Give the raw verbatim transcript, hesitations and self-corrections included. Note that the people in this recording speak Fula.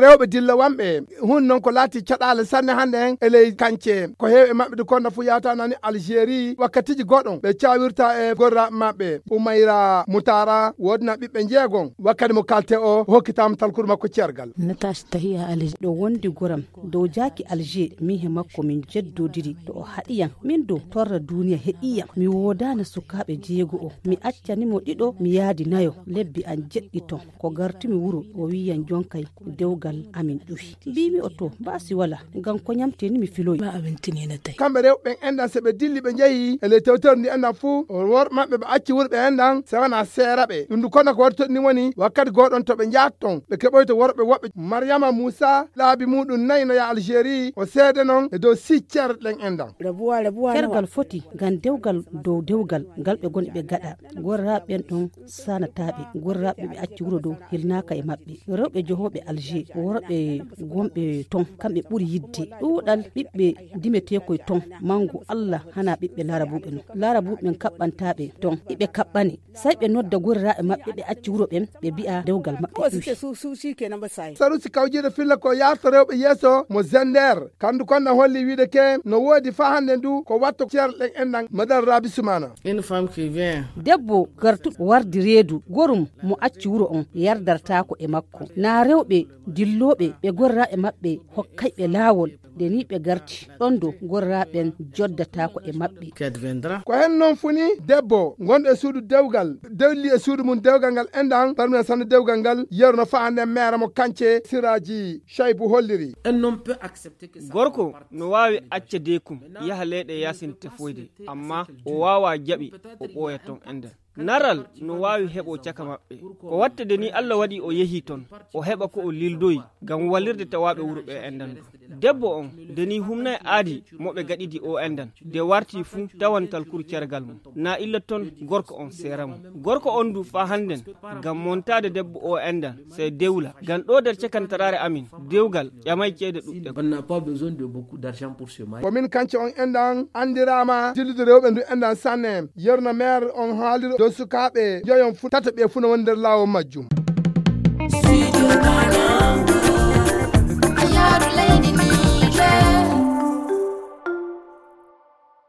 Rewɓe dilla wanɓe hun non ko laati caɗaale sanne hannde hen e ley kance. Ko heewi e maɓɓe du konda fu yawtanani Algérie wakkatiji goɗon ɓe cawirta e gorra maɓɓe. Umayra Mutara wodna ɓiɓɓe jeegon wakkati mo kalte o hokkitama talkuru makko cergal. Natas tahiya Algérie ɗo wondi goram dow jaaki Alger min he makko min jeddodiri to o haɗiyam min dow torra duniya heɗiyam mi wodana sukaɓe jeego o mi accani mo ɗiɗo mi yaadi nayo lebbi an jeɗɗi ton ko gartumi wuro o wiyan jonkay dewgal amin ƴufi mbimi o to mbasi wala ngam ko ñamteni mi filoyi ma aɓen tinina tawi kamɓe rewɓe ɓen enɗan se ɓe dilli ɓe jeehi e ley tewtere ndi enɗan fuu worɓe maɓɓe ɓe acci wuro ɓe enɗan se wona seera ɓe ɗum ndu kono ko waɗi toɗni woni wakkati gooɗon to ɓe njaat ton ɓe keɓoyto worɓe woɓɓe mariyama muusa laabi muɗum nayi no yaha algérie o seede non e dow siccer ɗen enɗan. Kergal foti ngam dewgal dow dewgal ngal ɓe goni ɓe gaɗa gorraaɓe ɓen ɗon sanataaɓe gorraaɓe ɓe acci wuro dow hilnaaka e maɓɓe rewɓe johooɓe alger worɓe gonɓe ton kamɓe ɓuri yidde ɗuuɗal ɓiɓɓe dimeteekoy ton mangu allah hana ɓiɓɓe larabuɓe non larabuɓe ɓen kaɓɓantaaɓe ton iɓe kaɓɓane say ɓe nodda gorraaɓe maɓɓe ɓe acci wuro ɓen ɓe mbi'a dewgal maɓɓe ƴuwi. Sarusi kawjiiɗo filla ko yarta rewɓe yeeso mo zender kandu konɗan holli wiide ke no woodi faa hannde ndu ko watto ceerle ɗen enɗan madame rabi sumana. Debbo gartuɗo wardi reedu gorum mo acci wuro on yardartaako e makko na rewɓe dillooɓe ɓe gorraaɓe maɓɓe hokkayɓe laawol nde ni ɓe garti ɗon do gorraaɓe ɓen joddataako e maɓɓe. Ko hen non funi debbo gonɗo e suudu dewgal dewli e suudu mum dewgal ngal enɗan parmi sanne dewgal ngal yeru no faa nden meere mo kance siraaji shaybu holliri. Gorko no waawi acca deekum yaha leyɗe yaasin tefoyde amma o waawaa jaɓi o ɓooya ton enɗan. Naral no waawi heɓo caka maɓɓe. Ko wattade ni Allah waɗi o yehi ton o heɓa ko o lildoyi ngam wallirde tawaaɓe wuro ɓe enɗan ɗo. Debbo on de ni humnay aadi mo ɓe gaɗidi o enɗan de warti fuu tawan talkuru cergal mum na illa ton gorko on seera mum. Gorko on du faa hannden ngam montaade debbo o enɗan sey dewla ngam ɗo nder cakantaraare amin dewgal ƴamay ceede ɗuɗɗe. On n'a pas besoin de beaucoup d'argent pour se marier. Ko min kance on enɗan anndiraama dillude rewɓe ndu enɗan sanne yerno maire on haaliri dow sukaaɓe joyon fu tata ɓe fuu no woni nder laawol majjum.